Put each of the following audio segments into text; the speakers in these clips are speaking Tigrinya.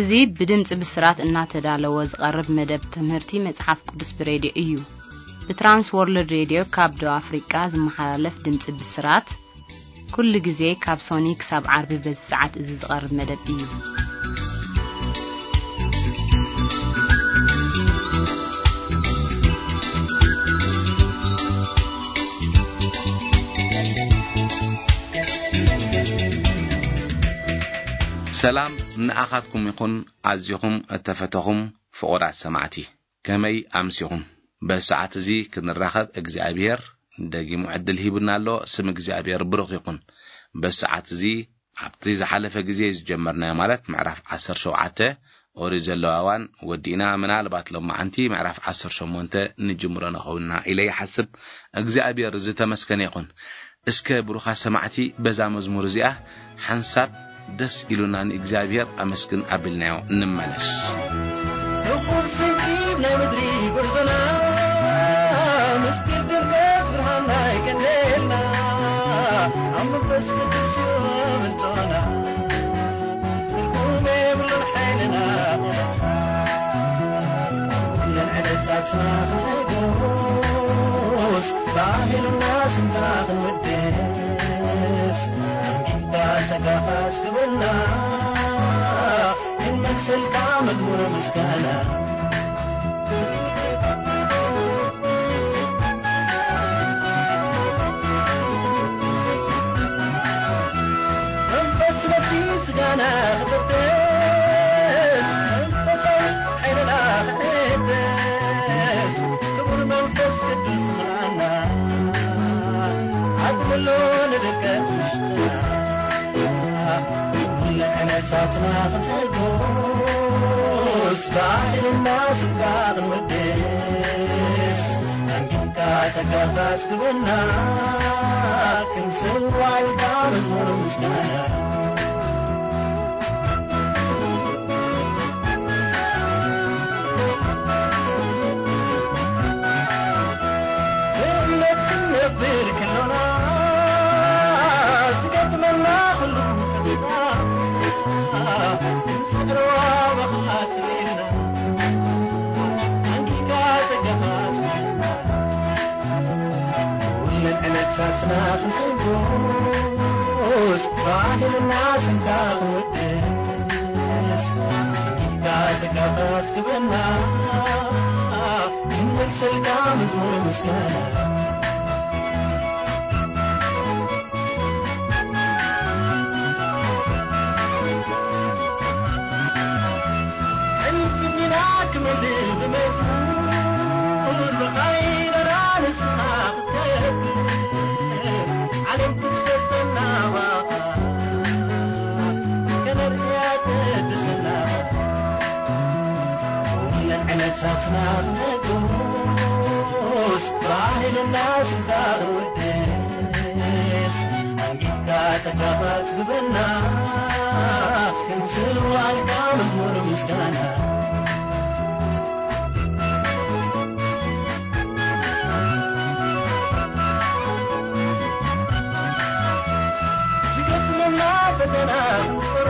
እዚ ብድምፂ ብስራት እናተዳለወ ዝቐርብ መደብ ትምህርቲ መጽሓፍ ቅዱስ ብሬድዮ እዩ። ብትራንስ ወርልድ ሬድዮ ካብ ደቡብ ኣፍሪቃ ዝመሓላለፍ ድምፂ ብስራት ኩሉ ግዜ ካብ ሶኒ ክሳብ ዓርቢ በዚ ሰዓት እዚ ዝቐርብ መደብ እዩ። ሰላም ንኣኻትኩም ይኹን፣ ኣዚኹም እተፈተኹም ፍቑራት ሰማዕቲ። ከመይ ኣምሲኹም? በዚ ሰዓት እዚ ክንራኸብ እግዚኣብሔር ደጊሙ ዕድል ሂቡና ኣሎ። ስም እግዚኣብሔር ብሩኽ ይኹን። በዚ ሰዓት እዚ ኣብቲ ዝሓለፈ ግዜ ዝጀመርናዮ፣ ማለት ምዕራፍ ዓሰርተ ሸውዓተ ኦሪት ዘለዋዋን ወዲእና፣ ምናልባት ሎማዓንቲ ምዕራፍ ዓሰርተ ሸሞንተ ንጅምሮ ንኸውንና ኢለ ይሓስብ። እግዚኣብሔር ዝተመስገነ ይኹን። እስከ ብሩኻት ሰማዕቲ በዛ መዝሙር እዚኣ ሓንሳብ ደስ ኢሉና ንእግዚኣብሔር ኣመስግን ኣቢልናዮ እንመለስ። ርኹብ ስንኪብ ናይ ምድሪ ጉዕዞና፣ ምስጢር ድምቀት ብርሃንና ይቀንየልና፣ ኣብ መንፈስ ቅዱስ እዩ ምንጮና። ትርጉም የብሉን ሓይልና ክገልጻ፣ ኩለን ዕለታትና ክንሕጎስ፣ ባህልና ስምካ ክንውድስ፣ ኣንጊድካ ጸጋኻ ኣስግበና፣ ክንመልሰልካ መዝሙር ምስጋና። መንፈስ ነፍሲ ስጋና ክቕደስ፣ መንፈሳዊ ሓይልና ክሕደስ፣ ክቡር መንፈስ ቅዱስ ምልኣና፣ ኣጥልሎ ንድቀት ውሽጥና፣ ኩለ ዕለታትና ክንሕጎስ፣ ባህልና ስጋ ክንወድስ፣ ኣንጊድካ ጸጋኻ ኣስግበና፣ ክንስዋልካ መዝሙር ምስጋና። ብእምነት ክንነብር ከሎና፣ ዝገጥመና ኩሉ ፈተና፣ ክንጽዕሮ ባኻ ጽልኢልና፣ ኣንጊድካ ጸጋኻ ትሕና። ኩለን ዕለታትና ክንሕጎስ፣ ባህልና ስምካ ክንወድስ፣ ኣንጊድካ ጸጋኻ ትግበና፣ ክንመልሰልካ መዝሙር ምስጋና። ሕልፊ ቢና ክምልእ ብመዝሙር፣ ብኻይዳና ንስኻ ክትከብር፣ ዓለም ክትፈልጠና ባኻ፣ ከነርእያ ቅድስና። ኩለን ዕለታትና ክንሕጎስ፣ ባህልና ስምካ ክንውድስ፣ ኣንጊድካ ጸጋኻ ትግበና፣ ክንስዋልካ መዝሙር ምስጋና። ዝገጥመና ፈተና ክንጽሮ፣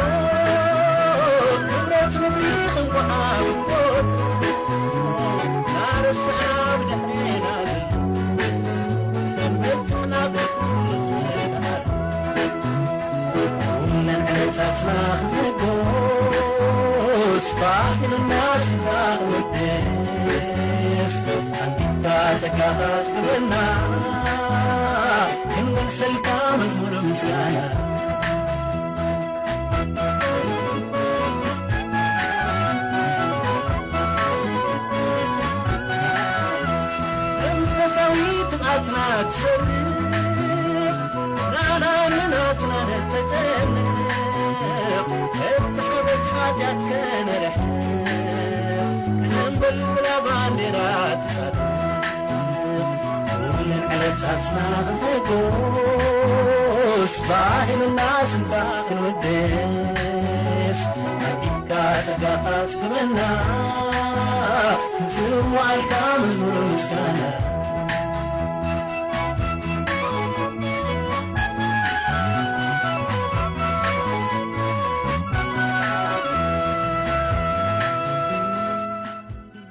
ክብረት ምድሪ ክንጎዓብቦት፣ ናረስዓ ብድሕሬና ዘሎ፣ መጥና ኩለን ዕለታትና ክንሕጎስ፣ ባህልና ስጋ ክንውድስ፣ ኣንጊድካ ጸጋኻ ትግበና፣ ክንመልሰልካ መዝሙር ምስጋና። መንፈሳዊ ትብዓትና ትሰርፍ፣ ናና ንናትና ንተጨነቕ፣ እቲ ሓወት ሓጢኣት ከነርሕቕ፣ ከነንበልብላ ባንዴራ ትጻረፍ። ኩለን ዕለታትና ክንሕጎስ፣ ባህልና ስምካ ክንውድስ፣ ኣንጊድካ ጸጋኻ ኣስግበና፣ ክንስዋልካ መዝሙር ምስጋና።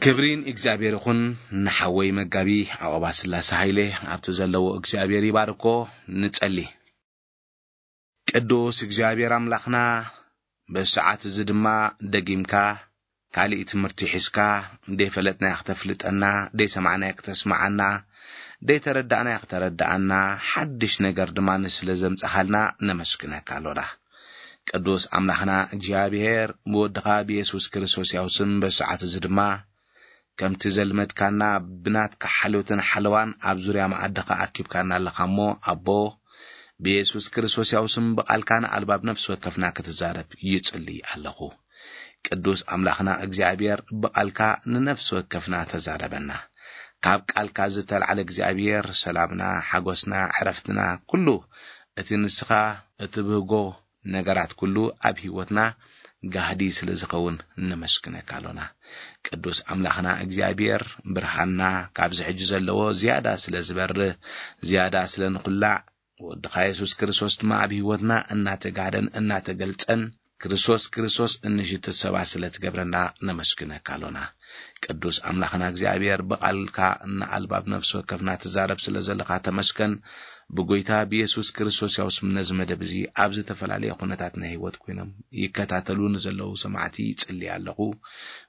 ክብሪ ንእግዚኣብሔር ይኹን። ንሓወይ መጋቢ ዓቐባ ስላሴ ሃይለ ኣብቲ ዘለዎ እግዚኣብሔር ይባርኮ። ንጸሊ። ቅዱስ እግዚኣብሔር ኣምላኽና፣ በዚ ሰዓት እዚ ድማ ደጊምካ ካሊእ ትምህርቲ ሒዝካ፣ ደይፈለጥናዮ ክተፍልጠና፣ ደይሰማዕናዮ ክተስምዓና፣ ደይተረዳእናዮ ክተረዳእና፣ ሓድሽ ነገር ድማ ንስለ ዘምጻኻልና ነመስግነካ ኣሎና። ቅዱስ ኣምላኽና እግዚኣብሔር፣ ብወድኻ ብየሱስ ክርስቶስ ያው ስም በዚ ሰዓት እዚ ድማ ከምቲ ዘልመድካና ብናትካ ሓልዮትን ሓለዋን ኣብ ዙርያ መኣድኻ ኣኪብካና ኣለኻ እሞ፣ ኣቦ፣ ብየሱስ ክርስቶስ ያው ስም ብቓልካ ንኣልባብ ነፍሲ ወከፍና ክትዛረብ ይጽሊ ኣለኹ። ቅዱስ ኣምላኽና እግዚኣብሔር፣ ብቓልካ ንነፍሲ ወከፍና ተዛረበና። ካብ ቃልካ ዝተልዓለ እግዚኣብሔር፣ ሰላምና፣ ሓጎስና፣ ዕረፍትና፣ ኩሉ እቲ ንስኻ እትብህጎ ነገራት ኩሉ ኣብ ህይወትና ጋህዲ ስለ ዝኸውን ነመስግነካ ኣሎና። ቅዱስ ኣምላኽና እግዚኣብሔር፣ ብርሃንና ካብዚ ሕጂ ዘለዎ ዝያዳ ስለ ዝበርህ፣ ዝያዳ ስለ ንኹላዕ፣ ወድኻ የሱስ ክርስቶስ ድማ ኣብ ህይወትና እናተጋህደን እናተገልጸን፣ ክርስቶስ ክርስቶስ እንሽትት ሰባት ስለ ትገብረና ነመስግነካ ኣሎና። ቅዱስ ኣምላኽና እግዚኣብሔር፣ ብቓልካ ንኣልባብ ነፍሲ ወከፍና ትዛረብ ስለ ዘለኻ ተመስገን። ብጎይታ ብየሱስ ክርስቶስ ያው ስም ነዚ መደብ እዚ ኣብ ዝተፈላለየ ኩነታት ናይ ህይወት ኮይኖም ይከታተሉ ንዘለዉ ሰማዕቲ ይጽሊ ኣለኹ።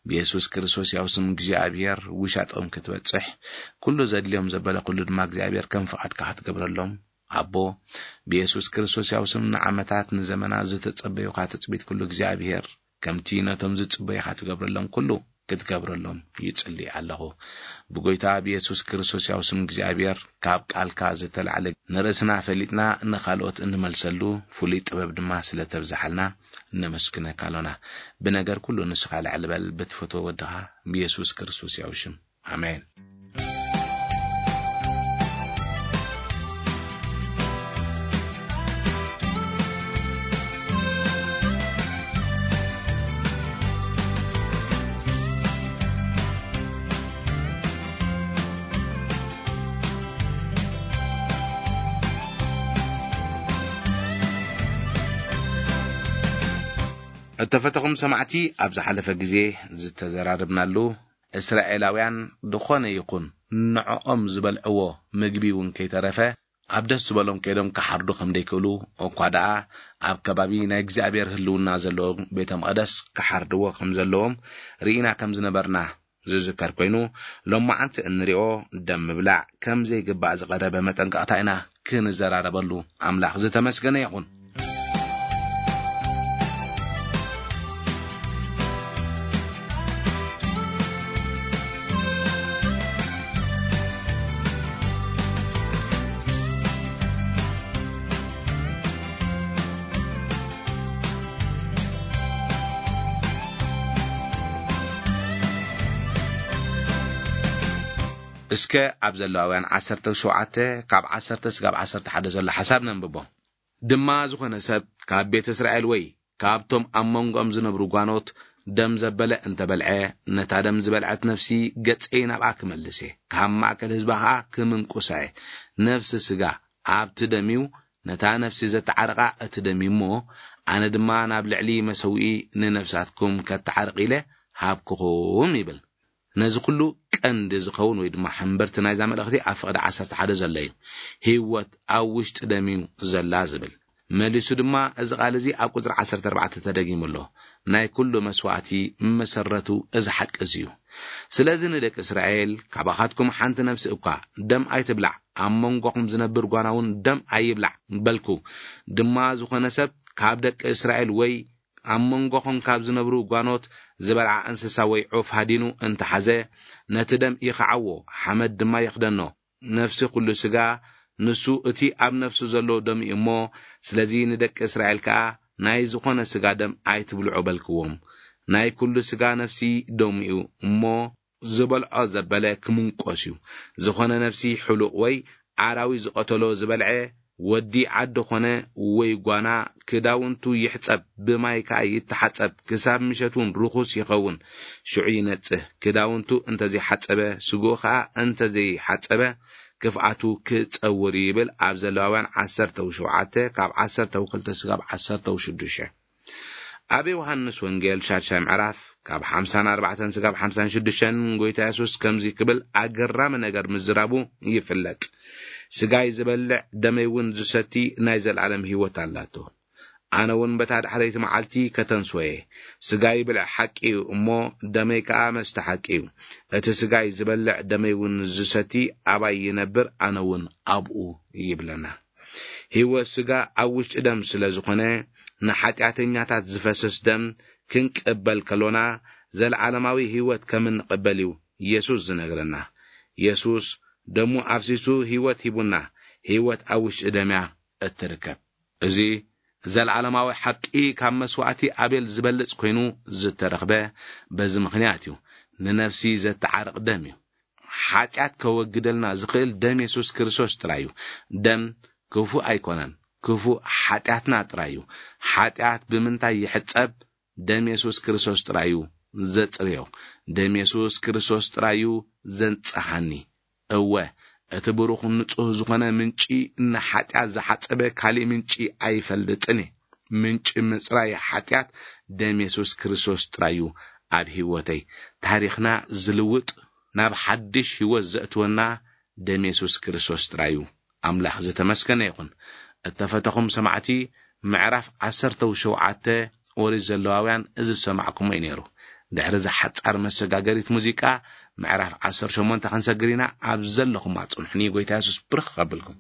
ብየሱስ ክርስቶስ ያው ስም እግዚኣብሔር ውሻጦም ክትበጽሕ፣ ኩሉ ዘድልዮም ዘበለ ኩሉ ድማ እግዚኣብሔር ከም ፍቓድካ ክትገብረሎም፣ ኣቦ፣ ብየሱስ ክርስቶስ ያው ስም ንዓመታት ንዘመናት ዝተጸበዩኻ ትጽቢት ኩሉ እግዚኣብሔር ከምቲ ነቶም ዝጽበዩኻ ትገብረሎም ኩሉ ክትገብረሎም ይጽሊ ኣለኹ። ብጎይታ ብየሱስ ክርስቶስ ያው ስም እግዚኣብሔር፣ ካብ ቃልካ ዝተላዕለ ንርእስና ፈሊጥና ንኻልኦት እንመልሰሉ ፍሉይ ጥበብ ድማ ስለ ተብዝሓልና ነመስግነካ ኣሎና። ብነገር ኩሉ ንስኻ ልዕሊ በል፣ ብትፈትዎ ወድኻ ብየሱስ ክርስቶስ ያው ሽም። ኣሜን። እተፈተኹም ሰማዕቲ፣ ኣብ ዝሓለፈ ግዜ ዝተዘራረብናሉ፣ እስራኤላውያን ዝኾነ ይኹን ንዕኦም ዝበልዕዎ ምግቢ እውን ከይተረፈ፣ ኣብ ደስ ዝበሎም ከይዶም ክሓርዱ ከም ዘይክእሉ፣ እኳ ደኣ ኣብ ከባቢ ናይ እግዚኣብሔር ህልውና ዘለዎ ቤተ መቕደስ ክሓርድዎ ከም ዘለዎም ርኢና ከም ዝነበርና ዝዝከር ኮይኑ፣ ሎማዓንቲ እንሪኦ ደም ምብላዕ ከም ዘይግባእ ዝቐረበ መጠንቀቕታ ኢና ክንዘራረበሉ። ኣምላኽ ዝተመስገነ ይኹን። እስከ ኣብ ዘለዋውያን ዓሰርተ ሸውዓተ ካብ ዓሰርተ ስጋብ ዓሰርተ ሓደ ዘሎ ሓሳብ ነንብቦ። ድማ ዝኾነ ሰብ ካብ ቤት እስራኤል ወይ ካብቶም ኣብ መንጎኦም ዝነብሩ ጓኖት ደም ዘበለ እንተበልዐ፣ ነታ ደም ዝበልዐት ነፍሲ ገጸይ ናብኣ ክመልስ እየ፣ ካብ ማእከል ህዝባ ኸኣ ክምንቁሳ እየ። ነፍሲ ስጋ ኣብቲ ደም እዩ፣ ነታ ነፍሲ ዘተዓርቓ እቲ ደም እዩ እሞ፣ ኣነ ድማ ናብ ልዕሊ መሰውኢ ንነፍሳትኩም ከተዓርቕ ኢለ ሃብኩኹም ይብል። ነዚ ኩሉ ቀንዲ ዝኸውን ወይ ድማ ሕምብርቲ ናይዛ መልእኽቲ ኣብ ፍቕዲ ዓሰርተ ሓደ ዘሎ እዩ። ህይወት ኣብ ውሽጢ ደም እዩ ዘላ ዝብል። መሊሱ ድማ እዚ ቃል እዚ ኣብ ቁጽሪ ዓሰርተ ኣርባዕተ ተደጊሙ ኣሎ። ናይ ኩሉ መስዋእቲ መሰረቱ እዚ ሓቂ እዚ እዩ። ስለዚ ንደቂ እስራኤል፣ ካባኻትኩም ሓንቲ ነፍሲ እኳ ደም ኣይትብላዕ፣ ኣብ መንጎኹም ዝነብር ጓና እውን ደም ኣይብላዕ በልኩ። ድማ ዝኾነ ሰብ ካብ ደቂ እስራኤል ወይ ኣብ መንጎኹም ካብ ዝነብሩ ጓኖት ዝበልዓ እንስሳ ወይ ዑፍ ሃዲኑ እንተሓዘ፣ ነቲ ደም ይኽዓዎ፣ ሓመድ ድማ ይኽደኖ። ነፍሲ ኩሉ ስጋ ንሱ እቲ ኣብ ነፍሱ ዘሎ ደም እዩ እሞ፣ ስለዚ ንደቂ እስራኤል ከኣ ናይ ዝኾነ ስጋ ደም ኣይትብልዑ በልክዎም። ናይ ኩሉ ስጋ ነፍሲ ደሙ እዩ እሞ፣ ዝበልዖ ዘበለ ክምንቆስ እዩ። ዝኾነ ነፍሲ ሕሉቕ ወይ ኣራዊት ዝቐተሎ ዝበልዐ፣ ወዲ ዓዲ ኾነ ወይ ጓና፣ ክዳውንቱ ይሕጸብ፣ ብማይ ከኣ ይተሓጸብ፣ ክሳብ ምሸት እውን ርኹስ ይኸውን፣ ሽዑ ይነጽህ። ክዳውንቱ እንተዘይሓጸበ፣ ስግኡ ኸኣ እንተዘይሓጸበ፣ ክፍኣቱ ክጸውር እዩ ይብል ኣብ ዘለዋውያን ዓሰርተ ሸውዓተ ካብ ዓሰርተ ክልተ ስጋብ ዓሰርተ ሽዱሽተ። ኣብ ዮሃንስ ወንጌል ሻድሻይ ምዕራፍ ካብ ሓምሳን ኣርባዕተን ስጋብ ሓምሳን ሽዱሽተን ጎይታ የሱስ ከምዚ ክብል ኣገራሚ ነገር ምዝራቡ ይፍለጥ። "ስጋይ ዝበልዕ ደመይ እውን ዝሰቲ ናይ ዘለኣለም ህይወት ኣላቶ። ኣነ እውን በታ ዳሕረይቲ መዓልቲ ከተንስወ እየ። ስጋይ ብልዒ ሓቂ እዩ እሞ፣ ደመይ ከኣ መስተ ሓቂ እዩ። እቲ ስጋይ ዝበልዕ ደመይ እውን ዝሰቲ ኣባይ ይነብር፣ ኣነ እውን ኣብኡ" ይብለና። ህይወት ስጋ ኣብ ውሽጢ ደም ስለ ዝኾነ፣ ንሓጢኣተኛታት ዝፈስስ ደም ክንቅበል ከሎና፣ ዘለዓለማዊ ህይወት ከም እንቕበል እዩ የሱስ ዝነግረና። የሱስ ደሙ ኣፍሲሱ ህይወት ሂቡና። ህይወት ኣብ ውሽጢ ደም እያ እትርከብ። እዚ ዘለዓለማዊ ሓቂ ካብ መስዋእቲ ኣቤል ዝበልጽ ኮይኑ ዝተረኽበ በዚ ምኽንያት እዩ። ንነፍሲ ዘተዓርቕ ደም እዩ። ሓጢኣት ከወግደልና ዝኽእል ደም የሱስ ክርስቶስ ጥራይ እዩ። ደም ክፉእ ኣይኮነን፣ ክፉእ ሓጢኣትና ጥራይ እዩ። ሓጢኣት ብምንታይ ይሕጸብ? ደም የሱስ ክርስቶስ ጥራይ እዩ ዘጽርዮ። ደም የሱስ ክርስቶስ ጥራይ እዩ ዘንጽሃኒ። እወ፣ እቲ ብሩኽ ንጹህ ዝኾነ ምንጪ፣ ንሓጢኣት ዝሓጸበ ካሊእ ምንጪ ኣይፈልጥን እየ። ምንጪ ምጽራይ ሓጢኣት ደም የሱስ ክርስቶስ ጥራይ እዩ ኣብ ህይወተይ። ታሪኽና ዝልውጥ፣ ናብ ሓድሽ ህይወት ዘእትወና ደም የሱስ ክርስቶስ ጥራይ እዩ። ኣምላኽ ዝተመስገነ ይኹን። እተፈተኹም ሰማዕቲ፣ ምዕራፍ ዓሰርተ ሸውዓተ ኦሪት ዘለዋውያን እዚ ዝሰማዕኩሞ እዩ ነይሩ። ድሕሪ እዛ ሓጻር መሰጋገሪት ሙዚቃ፣ ምዕራፍ ዓሰርተ ሸሞንተ ክንሰግር ኢና። ኣብ ዘለኹም ኣጽንሑኒ። ጎይታ የሱስ ብርኽ ከብልኩም።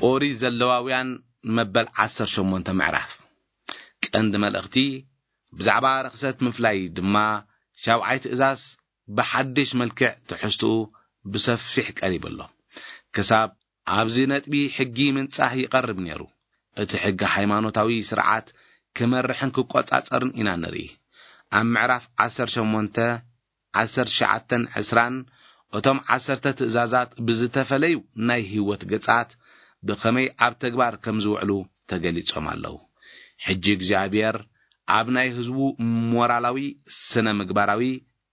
ኦሪት ዘለዋውያን መበል ዓሰርተ ሸሞንተ ምዕራፍ። ቀንዲ መልእኽቲ ብዛዕባ ርኽሰት ምፍላይ ድማ ሻብዓይ ትእዛዝ ብሓድሽ መልክዕ ትሕዝትኡ ብሰፊሕ ቀሪቡ ኣሎ። ክሳብ ኣብዚ ነጥቢ ሕጊ ምንጻህ ይቐርብ ነይሩ። እቲ ሕጊ ሃይማኖታዊ ስርዓት ክመርሕን ክቆጻጸርን ኢና ንርኢ። ኣብ ምዕራፍ ዓሰርተ ሸሞንተ፣ ዓሰርተ ትሽዓተን ዕስራን እቶም ዓሰርተ ትእዛዛት ብዝተፈለዩ ናይ ህይወት ገጻት ብኸመይ ኣብ ተግባር ከም ዝውዕሉ ተገሊጾም ኣለዉ። ሕጂ እግዚኣብሔር ኣብ ናይ ህዝቡ ሞራላዊ፣ ስነ ምግባራዊ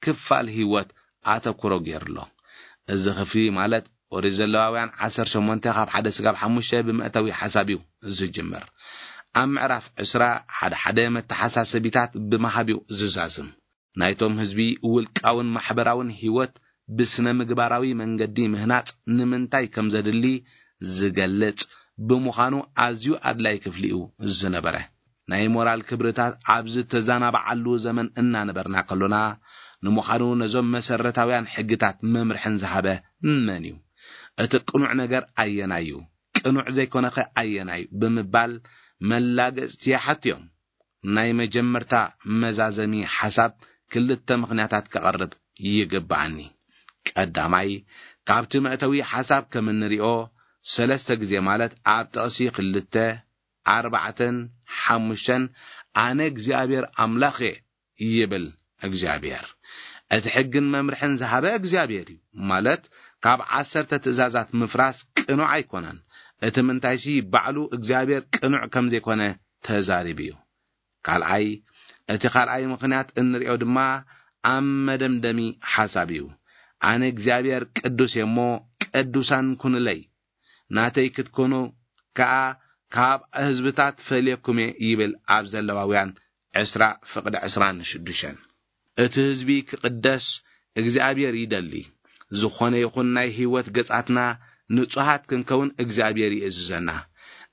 ክፋል ህይወት ኣተኩሮ ገይሩ ኣሎ። እዚ ክፍሊ ማለት ኦሪት ዘለዋውያን ዓሰርተ ሸሞንተ ካብ ሓደ ስጋብ ሓሙሽተ ብመእተዊ ሓሳብ እዩ ዝጅምር። ኣብ ምዕራፍ ዕስራ ሓደ ሓደ መተሓሳሰቢታት ብምሃብ እዩ ዝዛዝም። ናይቶም ህዝቢ ውልቃውን ማሕበራውን ህይወት ብስነ ምግባራዊ መንገዲ ምህናጽ ንምንታይ ከም ዘድሊ ዝገልጽ ብምዃኑ ኣዝዩ ኣድላይ ክፍሊ እዩ ዝነበረ። ናይ ሞራል ክብርታት ኣብ ዝተዛናባዓሉ ዘመን እናነበርና ከሎና፣ ንምዃኑ ነዞም መሰረታውያን ሕግታት መምርሕን ዝሃበ መን እዩ? እቲ ቅኑዕ ነገር ኣየናይ እዩ? ቅኑዕ ዘይኮነኸ ኣየናይ? ብምባል መላገጽቲ ይሓትዮም። ናይ መጀመርታ መዛዘሚ ሓሳብ ክልተ ምኽንያታት ከቐርብ ይግብኣኒ። ቀዳማይ፣ ካብቲ መእተዊ ሓሳብ ከም እንሪኦ፣ ሰለስተ ግዜ ማለት ኣብ ጥቕሲ ክልተ፣ ኣርባዕተን ሓሙሽተን፣ "ኣነ እግዚኣብሔር ኣምላኽ እየ" ይብል እግዚኣብሔር። እቲ ሕግን መምርሕን ዝሃበ እግዚኣብሔር እዩ። ማለት፣ ካብ ዓሰርተ ትእዛዛት ምፍራስ ቅኑዕ ኣይኮነን። እቲ ምንታይሲ፣ ባዕሉ እግዚኣብሔር ቅኑዕ ከም ዘይኮነ ተዛሪቡ እዩ። ካልኣይ፣ እቲ ካልኣይ ምኽንያት እንሪኦ ድማ ኣብ መደምደሚ ሓሳብ እዩ። "ኣነ እግዚኣብሔር ቅዱስ እየ እሞ ቅዱሳን ኩኑለይ፣ ናተይ ክትኮኑ ከኣ ካብ ህዝብታት ፈልየኩም እየ" ይብል ኣብ ዘለዋውያን ዕስራ ፍቕዲ ዕስራን ሽዱሽተን። እቲ ህዝቢ ክቕደስ እግዚኣብሔር ይደሊ። ዝኾነ ይኹን ናይ ህይወት ገጻትና ንጹሃት ክንከውን እግዚኣብሔር ይእዝዘና።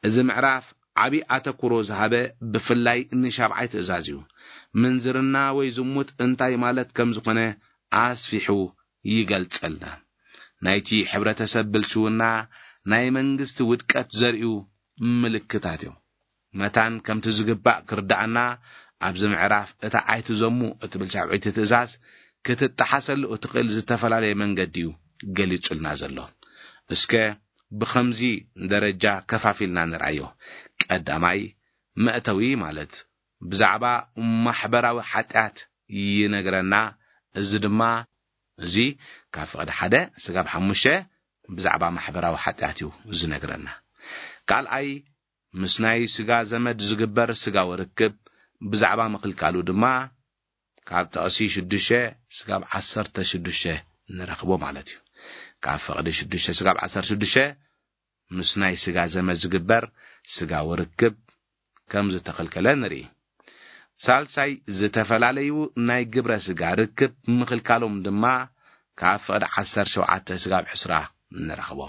እዚ ምዕራፍ ዓቢ ኣተኩሮ ዝሃበ ብፍላይ ንሻብዓይ ትእዛዝ እዩ። ምንዝርና ወይ ዝሙት እንታይ ማለት ከም ዝኾነ ኣስፊሑ ይገልጸልና። ናይቲ ሕብረተሰብ ብልሽውና ናይ መንግስቲ ውድቀት ዘርእዩ ምልክታት እዮም። መታን ከምቲ ዝግባእ ክርዳኣና ኣብዚ ምዕራፍ እታ ኣይትዘሙ እትብል ሻብዐይቲ ትእዛዝ ክትጠሓሰሉ እትኽእል ዝተፈላለየ መንገዲ እዩ ገሊጹልና ዘሎ። እስከ ብኸምዚ ደረጃ ከፋፊልና ንርኣዮ። ቀዳማይ መእተዊ ማለት ብዛዕባ ማሕበራዊ ሓጢኣት ይነግረና። እዚ ድማ እዚ ካብ ፍቕዲ ሓደ ስጋብ ሓሙሽተ ብዛዕባ ማሕበራዊ ሓጢኣት እዩ ዝነግረና። ካልኣይ፣ ምስ ናይ ስጋ ዘመድ ዝግበር ስጋዊ ርክብ ብዛዕባ ምኽልካሉ ድማ ካብ ጥቕሲ ሽዱሽተ ስጋብ ዓሰርተ ሽዱሽተ ንረኽቦ ማለት እዩ። ካብ ፍቕዲ ሽዱሽተ ስጋብ ዓሰርተ ሽዱሽተ ምስ ናይ ስጋ ዘመድ ዝግበር ስጋዊ ርክብ ከም ዝተኸልከለ ንርኢ። ሳልሳይ፣ ዝተፈላለዩ ናይ ግብረ ስጋ ርክብ ምኽልካሎም ድማ ካብ ፍቕዲ ዓሰርተ ሸውዓተ ስጋብ ዕስራ ንረኽቦ።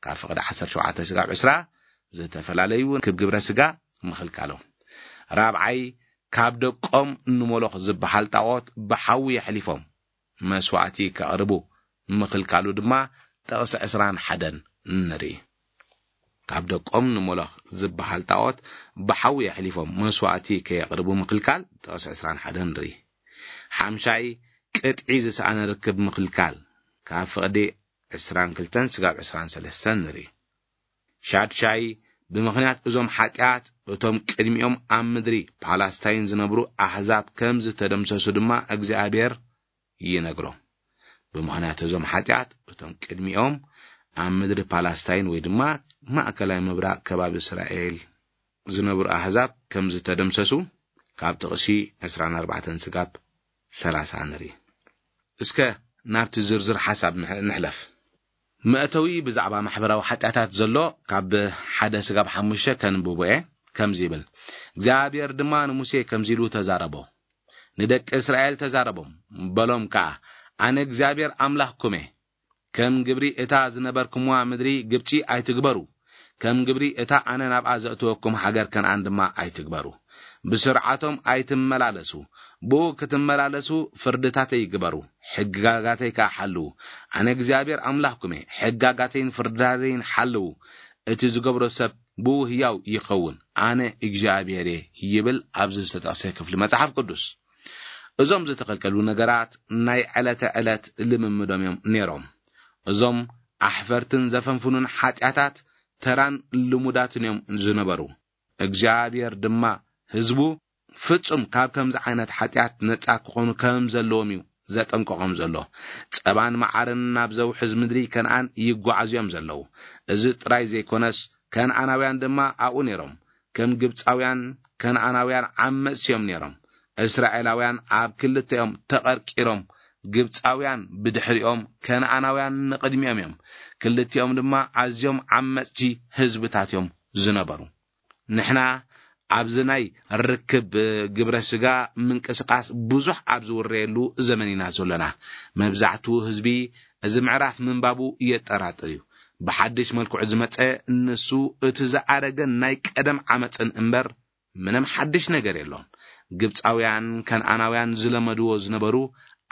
ካብ ፍቕዲ ዓሰርተ ሸውዓተ ስጋብ ዕስራ ዝተፈላለዩ ክብ ግብረ ስጋ ምኽልካሎም። ራብዓይ፣ ካብ ደቆም ንሞሎኽ ዝበሃል ጣዖት ብሓዊ የሕሊፎም መስዋዕቲ ከቕርቡ ምኽልካሉ ድማ ጥቕሲ ዕስራን ሓደን ንርኢ። ካብ ደቆም ንሞሎኽ ዝበሃል ጣዖት ብሓዊ የሕሊፎም መስዋዕቲ ከየቕርቡ ምኽልካል ጥቕሲ ዕስራን ሓደን ንርኢ። ሓምሻይ፣ ቅጥዒ ዝሰኣነ ርክብ ምኽልካል ካብ ፍቕዲ ዕስራን ክልተን ስጋብ ዕስራን ሰለስተን ንርኢ። ሻድሻይ፣ ብምኽንያት እዞም ሓጢኣት እቶም ቅድሚኦም ኣብ ምድሪ ፓላስታይን ዝነብሩ ኣሕዛብ ከም ዝተደምሰሱ ድማ እግዚኣብሔር ይነግሮም። ብምኽንያት እዞም ሓጢኣት እቶም ቅድሚኦም ኣብ ምድሪ ፓላስታይን ወይ ድማ ማእከላይ ምብራቕ ከባቢ እስራኤል ዝነብሩ ኣሕዛብ ከም ዝተደምሰሱ ካብ ጥቕሲ ዕስራን ኣርባዕተን ስጋብ ሰላሳ ንርኢ። እስከ ናብቲ ዝርዝር ሓሳብ ንሕ-፣ ንሕለፍ። መእተዊ ብዛዕባ ማሕበራዊ ሓጢኣታት ዘሎ ካብ ሓደ ስጋብ ሓሙሽተ ከንብቦ እየ። ከምዚ ይብል፣ እግዚኣብሔር ድማ ንሙሴ ከምዚ ኢሉ ተዛረቦ፣ ንደቂ እስራኤል ተዛረቦም፣ በሎም ከኣ፣ ኣነ እግዚኣብሔር ኣምላኽኩም እየ። ከም ግብሪ እታ ዝነበርኩምዋ ምድሪ ግብጺ ኣይትግበሩ፣ ከም ግብሪ እታ ኣነ ናብኣ ዘእትወኩም ሃገር ከነኣን ድማ ኣይትግበሩ። ብስርዓቶም ኣይትመላለሱ፣ ብኡ ክትመላለሱ ፍርድታተይ ግበሩ፣ ሕግጋጋተይ ከኣ ሓልዉ። ኣነ እግዚኣብሔር ኣምላኽኩም እየ፣ ሕጋጋተይን ፍርድታተይን ሓልዉ። እቲ ዝገብሮ ሰብ ብኡ ህያው ይኸውን፣ ኣነ እግዚኣብሔር እየ ይብል ኣብዚ ዝተጠቕሰ ክፍሊ መጽሓፍ ቅዱስ። እዞም ዝተኸልከሉ ነገራት ናይ ዕለተ ዕለት ልምምዶም እዮም ነይሮም። እዞም ኣሕፈርትን ዘፈንፍኑን ሓጢኣታት ተራን ልሙዳትን እዮም ዝነበሩ። እግዚኣብሔር ድማ ህዝቡ ፍጹም ካብ ከምዚ ዓይነት ሓጢኣት ነጻ ክኾኑ ከም ዘለዎም እዩ ዘጠንቀቖም ዘሎ። ጸባን መዓርን ናብ ዘውሕዝ ምድሪ ከነኣን ይጓዓዙ እዮም ዘለዉ። እዚ ጥራይ ዘይኮነስ፣ ከነኣናውያን ድማ ኣብኡ ነይሮም። ከም ግብጻውያን፣ ከነኣናውያን ዓመጽቲ እዮም ነይሮም። እስራኤላውያን ኣብ ክልተ እዮም ተቐርቂሮም። ግብጻውያን ብድሕሪኦም፣ ከነኣናውያን ንቕድሚኦም እዮም። ክልቲኦም ድማ ኣዝዮም ዓመጽቲ ህዝብታት እዮም ዝነበሩ። ንሕና ኣብዚ ናይ ርክብ ግብረ ስጋ ምንቅስቃስ ብዙሕ ኣብ ዝውረየሉ ዘመን ኢና ዘሎና። መብዛሕትኡ ህዝቢ እዚ ምዕራፍ ምንባቡ የጠራጥር እዩ። ብሓድሽ መልክዑ ዝመጸ ንሱ እቲ ዝኣረገን ናይ ቀደም ዓመጽን እምበር ምንም ሓድሽ ነገር የሎን። ግብጻውያን ከነኣናውያን ዝለመድዎ ዝነበሩ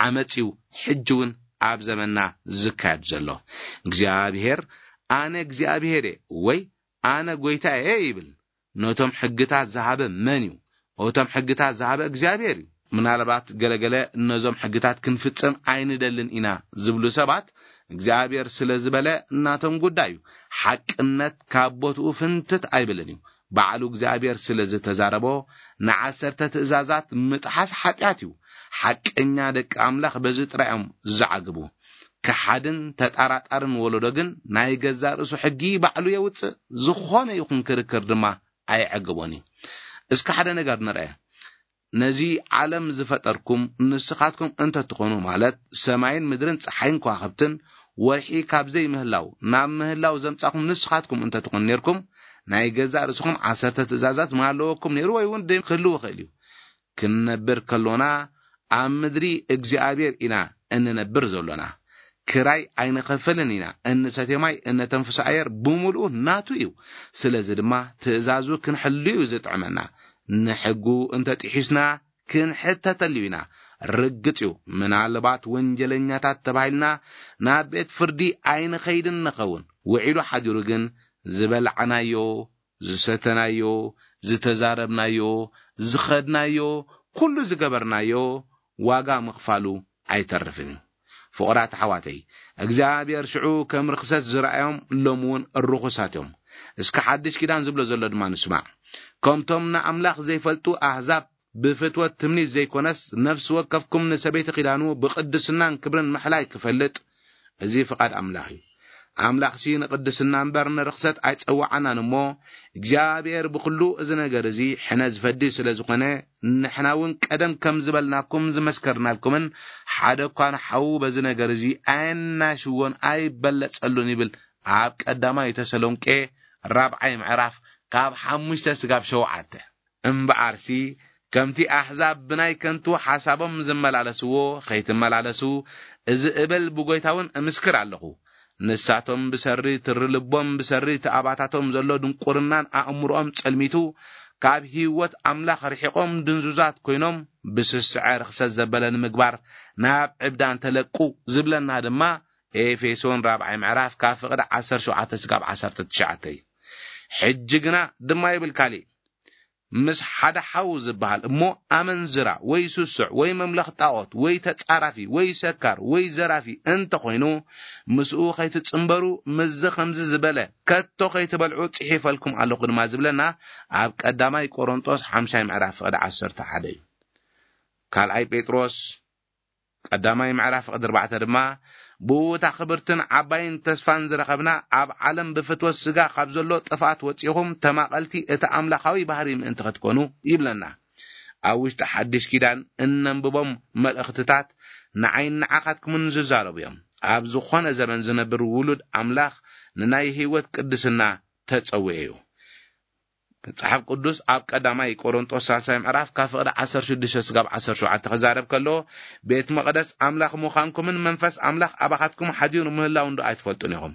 ዓመጽ እዩ ሕጂ እውን ኣብ ዘመንና ዝካየድ ዘሎ። እግዚኣብሔር ኣነ እግዚኣብሔር እየ ወይ ኣነ ጐይታ እየ ይብል። ነቶም ሕግታት ዝሃበ መን እዩ? እቶም ሕግታት ዝሃበ እግዚኣብሔር እዩ። ምናልባት ገለገለ ነዞም ሕግታት ክንፍጽም ኣይንደልን ኢና ዝብሉ ሰባት እግዚኣብሔር ስለ ዝበለ ናቶም ጉዳይ እዩ። ሓቅነት ካብ ቦትኡ ፍንትት ኣይብልን እዩ። ባዕሉ እግዚኣብሔር ስለ ዝተዛረቦ ንዓሰርተ ትእዛዛት ምጥሓስ ሓጢኣት እዩ። ሓቀኛ ደቂ ኣምላኽ በዚ ጥራይ እዮም ዝዓግቡ። ከሓድን ተጣራጣርን ወለዶ ግን ናይ ገዛ ርእሱ ሕጊ ባዕሉ የውጽእ፣ ዝኾነ ይኹን ክርክር ድማ ኣየዕግቦን እዩ። እስከ ሓደ ነገር ንርአ። ነዚ ዓለም ዝፈጠርኩም ንስኻትኩም እንተትኾኑ፣ ማለት ሰማይን ምድርን ጸሓይን ከዋኽብትን ወርሒ ካብ ዘይምህላው ናብ ምህላው ዘምጻኹም ንስኻትኩም እንተትኾኑ ነርኩም፣ ናይ ገዛእ ርእስኹም ዓሰርተ ትእዛዛት ምሃለወኩም ነይሩ፣ ወይ እውን ደም ክህልው ይኽእል እዩ። ክንነብር ከሎና ኣብ ምድሪ እግዚኣብሔር ኢና እንነብር ዘሎና። ክራይ ኣይንኸፍልን ኢና፣ እንሰትዮ ማይ፣ እነተንፍሶ ኣየር ብምልኡ ናቱ እዩ። ስለዚ ድማ ትእዛዙ ክንሕሉ እዩ ዝጥዕመና። ንሕጉ እንተጢሒስና ክንሕተተሉ ኢና። ርግጽ እዩ፣ ምናልባት ወንጀለኛታት ተባሂልና ናብ ቤት ፍርዲ ኣይንኸይድን ንኸውን። ውዒሉ ሓዲሩ ግን ዝበላዕናዮ፣ ዝሰተናዮ፣ ዝተዛረብናዮ፣ ዝኸድናዮ፣ ኩሉ ዝገበርናዮ ዋጋ ምኽፋሉ ኣይተርፍን እዩ። ፍቑራት ኣሕዋተይ፣ እግዚኣብሔር ሽዑ ከም ርኽሰት ዝረኣዮም ሎሚ እውን ርኹሳት እዮም። እስከ ሓድሽ ኪዳን ዝብሎ ዘሎ ድማ ንስማዕ። ከምቶም ንኣምላኽ ዘይፈልጡ ኣህዛብ ብፍትወት ትምኒት ዘይኮነስ፣ ነፍሲ ወከፍኩም ንሰበይቲ ኪዳኑ ብቅድስናን ክብርን ምሕላይ ክፈልጥ፣ እዚ ፍቓድ ኣምላኽ እዩ። ኣምላኽሲ ንቕድስና እምበር ንርኽሰት ኣይጸዋዓናን እሞ፣ እግዚኣብሔር ብኹሉ እዚ ነገር እዚ ሕነ ዝፈዲ ስለ ዝኾነ፣ ንሕና እውን ቀደም ከም ዝበልናኩም ዝመስከርናልኩምን፣ ሓደ እኳ ንሓዉ በዚ ነገር እዚ ኣየናሽዎን ኣይበለጸሉን ይብል ኣብ ቀዳማይ ተሰሎንቄ ራብዓይ ምዕራፍ ካብ ሓሙሽተ ስጋብ ሸውዓተ። እምበኣርሲ ከምቲ ኣሕዛብ ብናይ ከንቱ ሓሳቦም ዝመላለስዎ ኸይትመላለሱ፣ እዚ እብል ብጎይታ እውን እምስክር ኣለኹ። ንሳቶም ብሰሪ ትሪ ልቦም፣ ብሰሪ እቲ ኣባታቶም ዘሎ ድንቁርናን ኣእምሮኦም ጸልሚቱ፣ ካብ ህይወት ኣምላኽ ርሒቖም ድንዙዛት ኮይኖም፣ ብስስዐ ርኽሰት ዘበለ ንምግባር ናብ ዕብዳን ተለቁ ዝብለና ድማ ኤፌሶን ራብዓይ ምዕራፍ ካብ ፍቕዲ ዓሰርተ ሸውዓተ ስጋብ ዓሰርተ ትሽዓተ እዩ። ሕጂ ግና ድማ ይብል ካሊእ፣ ምስ ሓደ ሓው ዝበሃል እሞ ኣመንዝራ ወይ ስሱዕ ወይ መምለኽ ጣዖት ወይ ተጻራፊ ወይ ሰካር ወይ ዘራፊ እንተኾይኑ፣ ምስኡ ኸይትጽንበሩ፣ ምስዚ ኸምዚ ዝበለ ከቶ ኸይትበልዑ ጽሒፈልኩም ኣለኹ ድማ ዝብለና ኣብ ቀዳማይ ቆሮንጦስ ሓምሻይ ምዕራፍ ፍቕዲ ዓሰርተ ሓደ እዩ። ካልኣይ ጴጥሮስ ቀዳማይ ምዕራፍ ፍቕዲ ኣርባዕተ ድማ፣ ብእታ ክብርትን ዓባይን ተስፋን ዝረኸብና፣ ኣብ ዓለም ብፍትወት ስጋ ካብ ዘሎ ጥፍኣት ወጺኹም፣ ተማቐልቲ እቲ ኣምላኻዊ ባህሪ ምእንቲ ኸትኮኑ ይብለና። ኣብ ውሽጢ ሓድሽ ኪዳን እነንብቦም መልእኽትታት ንዓይን ንዓኻትኩምን ዝዛረቡ እዮም። ኣብ ዝኾነ ዘመን ዝነብር ውሉድ ኣምላኽ ንናይ ህይወት ቅድስና ተጸውየ እዩ። መጽሓፍ ቅዱስ ኣብ ቀዳማይ ቆሮንጦስ ሳልሳይ ምዕራፍ ካብ ፍቕዲ ዓሰርተ ሽዱሽተ ስጋብ ዓሰርተ ሸውዓተ ክዛረብ ከሎ፣ ቤት መቕደስ ኣምላኽ ምዃንኩምን መንፈስ ኣምላኽ ኣባኻትኩም ሓዲሩ ምህላው እንዶ ኣይትፈልጡን ኢኹም።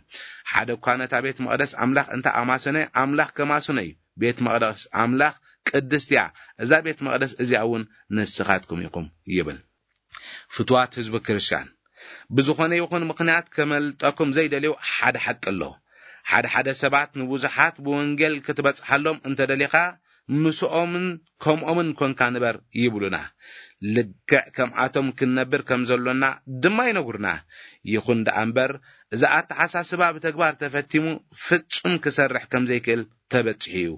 ሓደ እኳ ነታ ቤት መቕደስ ኣምላኽ እንተ ኣማሰነ፣ ኣምላኽ ከማስኖ እዩ። ቤት መቕደስ ኣምላኽ ቅድስቲ እያ። እዛ ቤት መቕደስ እዚኣ እውን ንስኻትኩም ኢኹም ይብል። ፍትዋት ህዝቢ ክርስቲያን፣ ብዝኾነ ይኹን ምኽንያት ከመልጠኩም ዘይደልዩ ሓደ ሓቂ ኣሎ። ሓደ ሓደ ሰባት ንብዙሓት ብወንጌል ክትበጽሓሎም እንተደሊኻ፣ ምስኦምን ከምኦምን ኮንካ ንበር ይብሉና። ልክዕ ከምኣቶም ክንነብር ከም ዘሎና ድማ ይነግሩና። ይኹን ደኣ እምበር፣ እዚ ኣተሓሳስባ ብተግባር ተፈቲሙ ፍጹም ክሰርሕ ከም ዘይክእል ተበጺሑ እዩ።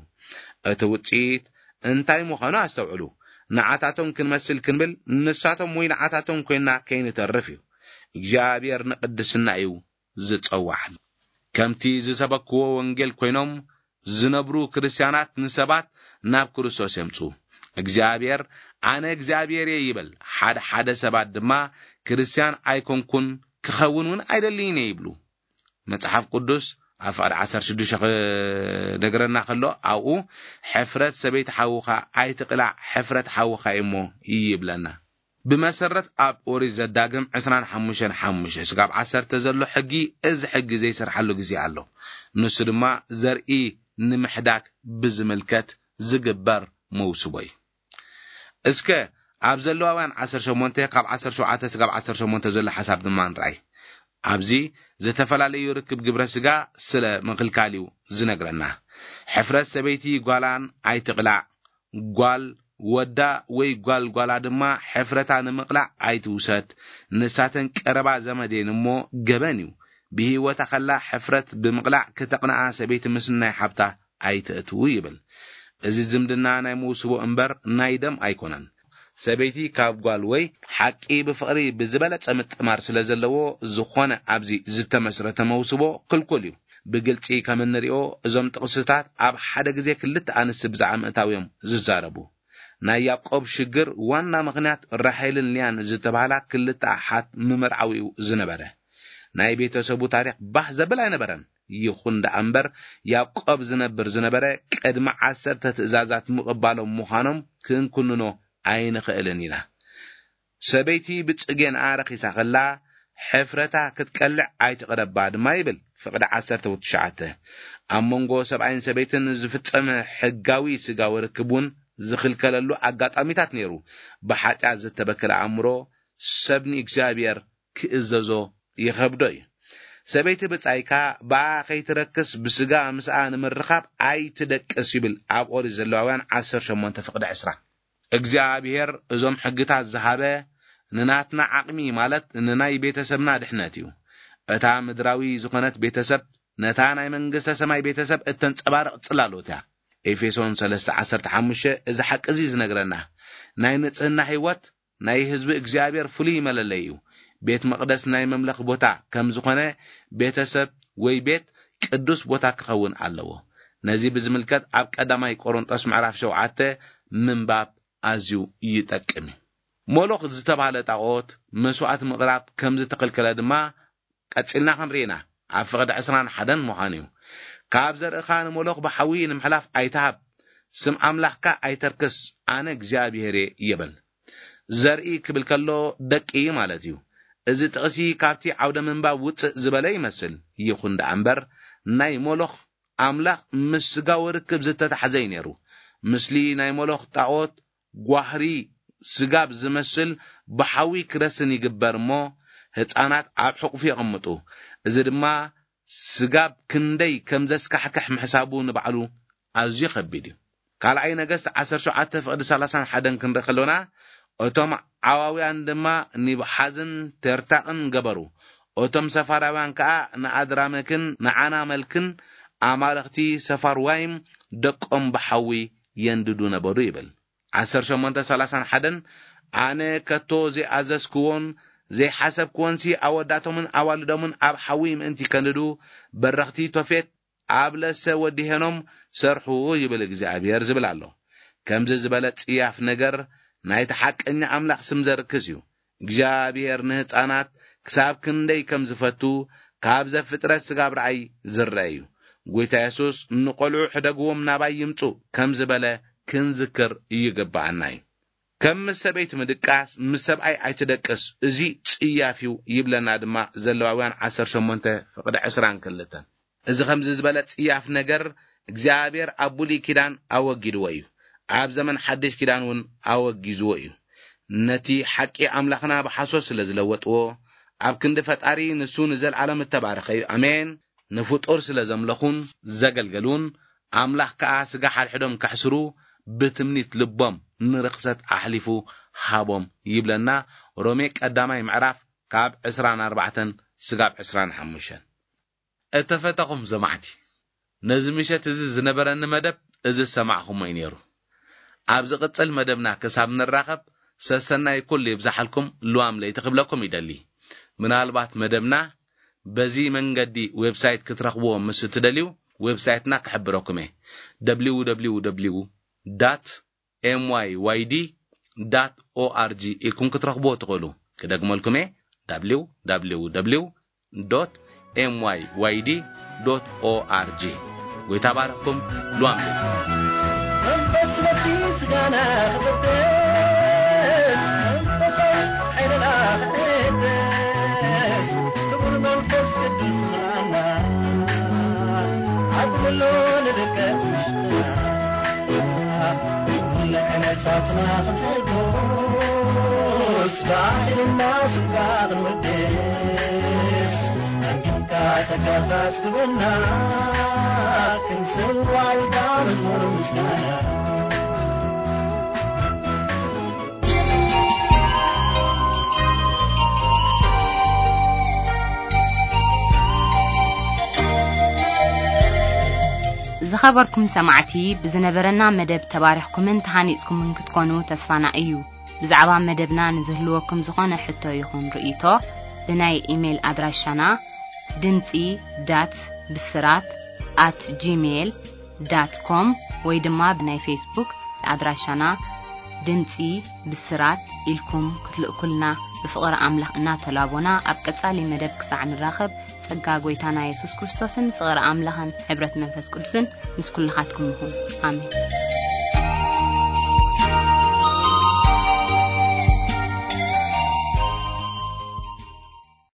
እቲ ውጽኢት እንታይ ምዃኑ ኣስተውዕሉ። ንዓታቶም ክንመስል ክንብል፣ ንሳቶም ወይ ንዓታቶም ኮይንና ከይንተርፍ እዩ። እግዚኣብሔር ንቅድስና እዩ ዝጸዋዕና። ከምቲ ዝሰበክዎ ወንጌል ኮይኖም ዝነብሩ ክርስትያናት ንሰባት ናብ ክርስቶስ የምጹ። እግዚኣብሔር፣ "ኣነ እግዚኣብሔር እየ" ይበል። ሓደ ሓደ ሰባት ድማ፣ "ክርስትያን ኣይኮንኩን፣ ክኸውን እውን ኣይደልይን እየ" ይብሉ። መጽሓፍ ቅዱስ ኣብ ፍቕዲ ዓሰርተ ሽዱሽተ ክነግረና ከሎ፣ ኣብኡ፣ "ሕፍረት ሰበይቲ ሓውኻ ኣይትቕላዕ፣ ሕፍረት ሓውኻ እዩ እሞ" ይብለና። ብመሰረት ኣብ ኦሪት ዘዳግም ዕስራን ሓሙሽተን ሓሙሽተ ስጋብ ዓሰርተ ዘሎ ሕጊ፣ እዚ ሕጊ ዘይሰርሓሉ ግዜ ኣሎ። ንሱ ድማ ዘርኢ ንምሕዳግ ብዝምልከት ዝግበር መውስቦ እዩ። እስከ ኣብ ዘለዋውያን ዓሰርተ ሸሞንተ ካብ ዓሰርተ ሸውዓተ ስጋብ ዓሰርተ ሸሞንተ ዘሎ ሓሳብ ድማ ንርኣይ። ኣብዚ ዝተፈላለዩ ርክብ ግብረ ስጋ ስለ ምኽልካል እዩ ዝነግረና። "ሕፍረት ሰበይቲ ጓላን ኣይትቕላዕ፣ ጓል ወዳ ወይ ጓል ጓላ ድማ ሕፍረታ ንምቕላዕ ኣይትውሰድ። ንሳተን ቀረባ ዘመድ እየን እሞ ገበን እዩ። ብህይወታ ከላ ሕፍረት ብምቕላዕ ክተቕንኣ ሰበይቲ ምስ ናይ ሓብታ ኣይትእትዉ" ይብል። እዚ ዝምድና ናይ መውስቦ እምበር ናይ ደም ኣይኮነን። ሰበይቲ ካብ ጓል ወይ ሓቂ ብፍቕሪ ብዝበለጸ ምጥማር ስለ ዘለዎ፣ ዝኾነ ኣብዚ ዝተመስረተ መውስቦ ክልኩል እዩ። ብግልጺ ከም እንሪኦ፣ እዞም ጥቕስታት ኣብ ሓደ ግዜ ክልተ ኣንስቲ ብዛዕባ ምእታው እዮም ዝዛረቡ። ናይ ያዕቆብ ሽግር ዋና ምኽንያት ራሄልን ሊያን ዝተባህላ ክልተ ኣሓት ምምርዓው እዩ ዝነበረ። ናይ ቤተሰቡ ታሪኽ ባህ ዘብል ኣይነበረን። ይኹን ደኣ እምበር፣ ያዕቆብ ዝነብር ዝነበረ ቅድሚ ዓሰርተ ትእዛዛት ምቕባሎም ምዃኖም ክንኩንኖ ኣይንኽእልን ኢና። ሰበይቲ ብጽጌንኣ ረኺሳ ኸላ፣ ሕፍረታ ክትቀልዕ ኣይትቕረባ ድማ ይብል ፍቕዲ ዓሰርተ ወትሽዓተ። ኣብ መንጎ ሰብኣይን ሰበይትን ዝፍጸም ሕጋዊ ስጋዊ ርክብ እውን ዝኽልከለሉ ኣጋጣሚታት ነይሩ። ብሓጢኣት ዝተበከለ ኣእምሮ ሰብ ንእግዚኣብሔር ክእዘዞ ይኸብዶ እዩ። ሰበይቲ ብጻይካ ብኣ ኸይትረክስ ብስጋ ምስኣ ንምርኻብ ኣይትደቅስ ይብል ኣብ ኦሪት ዘለዋውያን ዓሰርተ ሸሞንተ ፍቕዲ ዕስራ። እግዚኣብሔር እዞም ሕግታት ዝሃበ ንናትና ዓቕሚ ማለት ንናይ ቤተሰብና ድሕነት እዩ። እታ ምድራዊ ዝኾነት ቤተሰብ ነታ ናይ መንግስተ ሰማይ ቤተሰብ እተንጸባርቕ ጽላሎት እያ። ኤፌሶን ሰለስተ ዓሰርተ ሓሙሽተ እዚ ሓቂ እዚ ዝነግረና። ናይ ንጽህና ህይወት ናይ ህዝቢ እግዚኣብሔር ፍሉይ መለለይ እዩ። ቤት መቕደስ ናይ መምለኽ ቦታ ከም ዝኾነ፣ ቤተሰብ ወይ ቤት ቅዱስ ቦታ ክኸውን ኣለዎ። ነዚ ብዝምልከት ኣብ ቀዳማይ ቆሮንጦስ ምዕራፍ ሸውዓተ ምንባብ ኣዝዩ ይጠቅም እዩ። ሞሎኽ ዝተባህለ ጣኦት መስዋዕቲ ምቕራብ ከም ዝተኸልከለ ድማ ቀጺልና ክንርኢ ኢና። ኣብ ፍቕዲ ዕስራን ሓደን ምዃን እዩ። ካብ ዘርእኻ ንሞሎኽ ብሓዊ ንምሕላፍ ኣይትሃብ፣ ስም ኣምላኽካ ኣይተርክስ፣ ኣነ እግዚኣብሔር እየ ይበል። ዘርኢ ክብል ከሎ ደቂ ማለት እዩ። እዚ ጥቕሲ ካብቲ ዓውደ ምንባብ ውጽእ ዝበለ ይመስል። ይኹን ደኣ እምበር፣ ናይ ሞሎኽ ኣምላኽ ምስ ስጋዊ ርክብ ዝተታሕዘ እዩ ነይሩ። ምስሊ ናይ ሞሎኽ ጣኦት ጓህሪ ስጋብ ዝመስል ብሓዊ ክረስን ይግበር እሞ፣ ህፃናት ኣብ ሕቑፉ የቐምጡ። እዚ ድማ ስጋብ ክንደይ ከም ዘስካሕክሕ ምሕሳቡ ንባዕሉ ኣዝዩ ከቢድ እዩ። ካልኣይ ነገስት ዓሰርተ ሸውዓተ ፍቕዲ ሰላሳን ሓደን ክንርኢ ከሎና፣ እቶም ዓዋውያን ድማ ኒብሓዝን ተርታቕን ገበሩ። እቶም ሰፋራውያን ከኣ ንኣድራመክን ንዓናመልክን ኣማልኽቲ ሰፋርዋይም ደቆም ብሓዊ የንድዱ ነበሩ ይብል። ዓሰርተ ሸሞንተ ሰላሳን ሓደን፣ ኣነ ከቶ ዘይኣዘዝክዎን ዘይሓሰብክዎንሲ ኣወዳቶምን ኣዋልዶምን ኣብ ሓዊ ምእንቲ ከንድዱ፣ በረኽቲ ቶፌት ኣብ ለሰ ወዲ ሄኖም ሰርሑ ይብል እግዚኣብሔር ዝብል ኣሎ። ከምዚ ዝበለ ጽያፍ ነገር ናይቲ ሓቀኛ ኣምላኽ ስም ዘርክስ እዩ። እግዚኣብሔር ንህፃናት ክሳብ ክንደይ ከም ዝፈቱ ካብ ዘፍጥረት ስጋብ ረኣይ ዝረአ እዩ። ጎይታ የሱስ፣ "ንቖልዑ ሕደግዎም፣ ናባይ ይምጹ" ከም ዝበለ ክንዝክር ይግብኣና እዩ። ከም ምስ ሰበይቲ ምድቃስ፣ "ምስ ሰብኣይ ኣይትደቅስ፣ እዚ ጽያፍ እዩ" ይብለና ድማ ዘለዋውያን ዓሰርተ ሸሞንተ ፍቕዲ ዕስራን ክልተን። እዚ ከምዚ ዝበለ ጽያፍ ነገር እግዚኣብሔር ኣብ ብሉይ ኪዳን ኣወጊድዎ እዩ። ኣብ ዘመን ሓድሽ ኪዳን እውን ኣወጊዝዎ እዩ። ነቲ ሓቂ ኣምላኽና ብሓሶት ስለ ዝለወጥዎ፣ ኣብ ክንዲ ፈጣሪ ንሱ ንዘለዓለም እተባረኸ እዩ። ኣሜን። ንፍጡር ስለ ዘምለኹን ዘገልገሉን፣ ኣምላኽ ከኣ ስጋ ሓድሕዶም ከሕስሩ ብትምኒት ልቦም ንርኽሰት ኣሕሊፉ ሃቦም ይብለና ሮሜ ቀዳማይ ምዕራፍ ካብ ዕስራን ኣርባዕተን ስጋብ ዕስራን ሓሙሽተን። እተፈተኹም ሰማዕቲ፣ ነዚ ምሸት እዚ ዝነበረኒ መደብ እዚ ዝሰማዕኹሞ እዩ ነይሩ። ኣብ ዝቕጽል መደብና ክሳብ ንራኸብ፣ ሰሰናይ ኩሉ ይብዛሓልኩም፣ ልዋም ለይቲ ክብለኩም ይደሊ። ምናልባት መደብና በዚ መንገዲ ዌብሳይት ክትረኽብዎ ምስ እትደልዩ፣ ዌብሳይትና ክሕብረኩም እየ። www dot myyd dot org ኢልኩም ክትረኽብዎ ትኽእሉ። ክደግመልኩም እየ፣ www dot myyd dot org። ጎይታ ባረኽኩም። ሉዋም መንፈስ ነፍሲ ስጋና ክቕደስ፣ መንፈሳዊ ሓይልና ክሕደስ፣ ክቡር መንፈስ ቅዱስ ምልኣና፣ ኣጥልሎ ንድቀት ውሽጥና። ኩሉ ዕለታትና ክንሕጎስ፣ ብኣኽልና ስምካ ክንወድስ፣ ኣንቢብካ ተጋታት ግበና፣ ክንስዋልካ መዝሙር ምስጋና። ዝኸበርኩም ሰማዕቲ፣ ብዝነበረና መደብ ተባሪኽኩምን ተሃኒጽኩምን ክትኮኑ ተስፋና እዩ። ብዛዕባ መደብና ንዝህልወኩም ዝኾነ ሕቶ ይኹን ርእይቶ፣ ብናይ ኢሜይል ኣድራሻና ድምጺ ዳት ብስራት ኣት ጂሜይል ዳት ኮም ወይ ድማ ብናይ ፌስቡክ ኣድራሻና ድምጺ ብስራት ኢልኩም ክትልእኩልና ብፍቕሪ ኣምላኽ እናተላቦና፣ ኣብ ቀጻሊ መደብ ክሳዕ ንራኸብ፣ ጸጋ ጎይታና የሱስ ክርስቶስን ፍቕሪ ኣምላኽን ሕብረት መንፈስ ቅዱስን ምስ ኩልኻትኩም ይኹን። ኣሜን።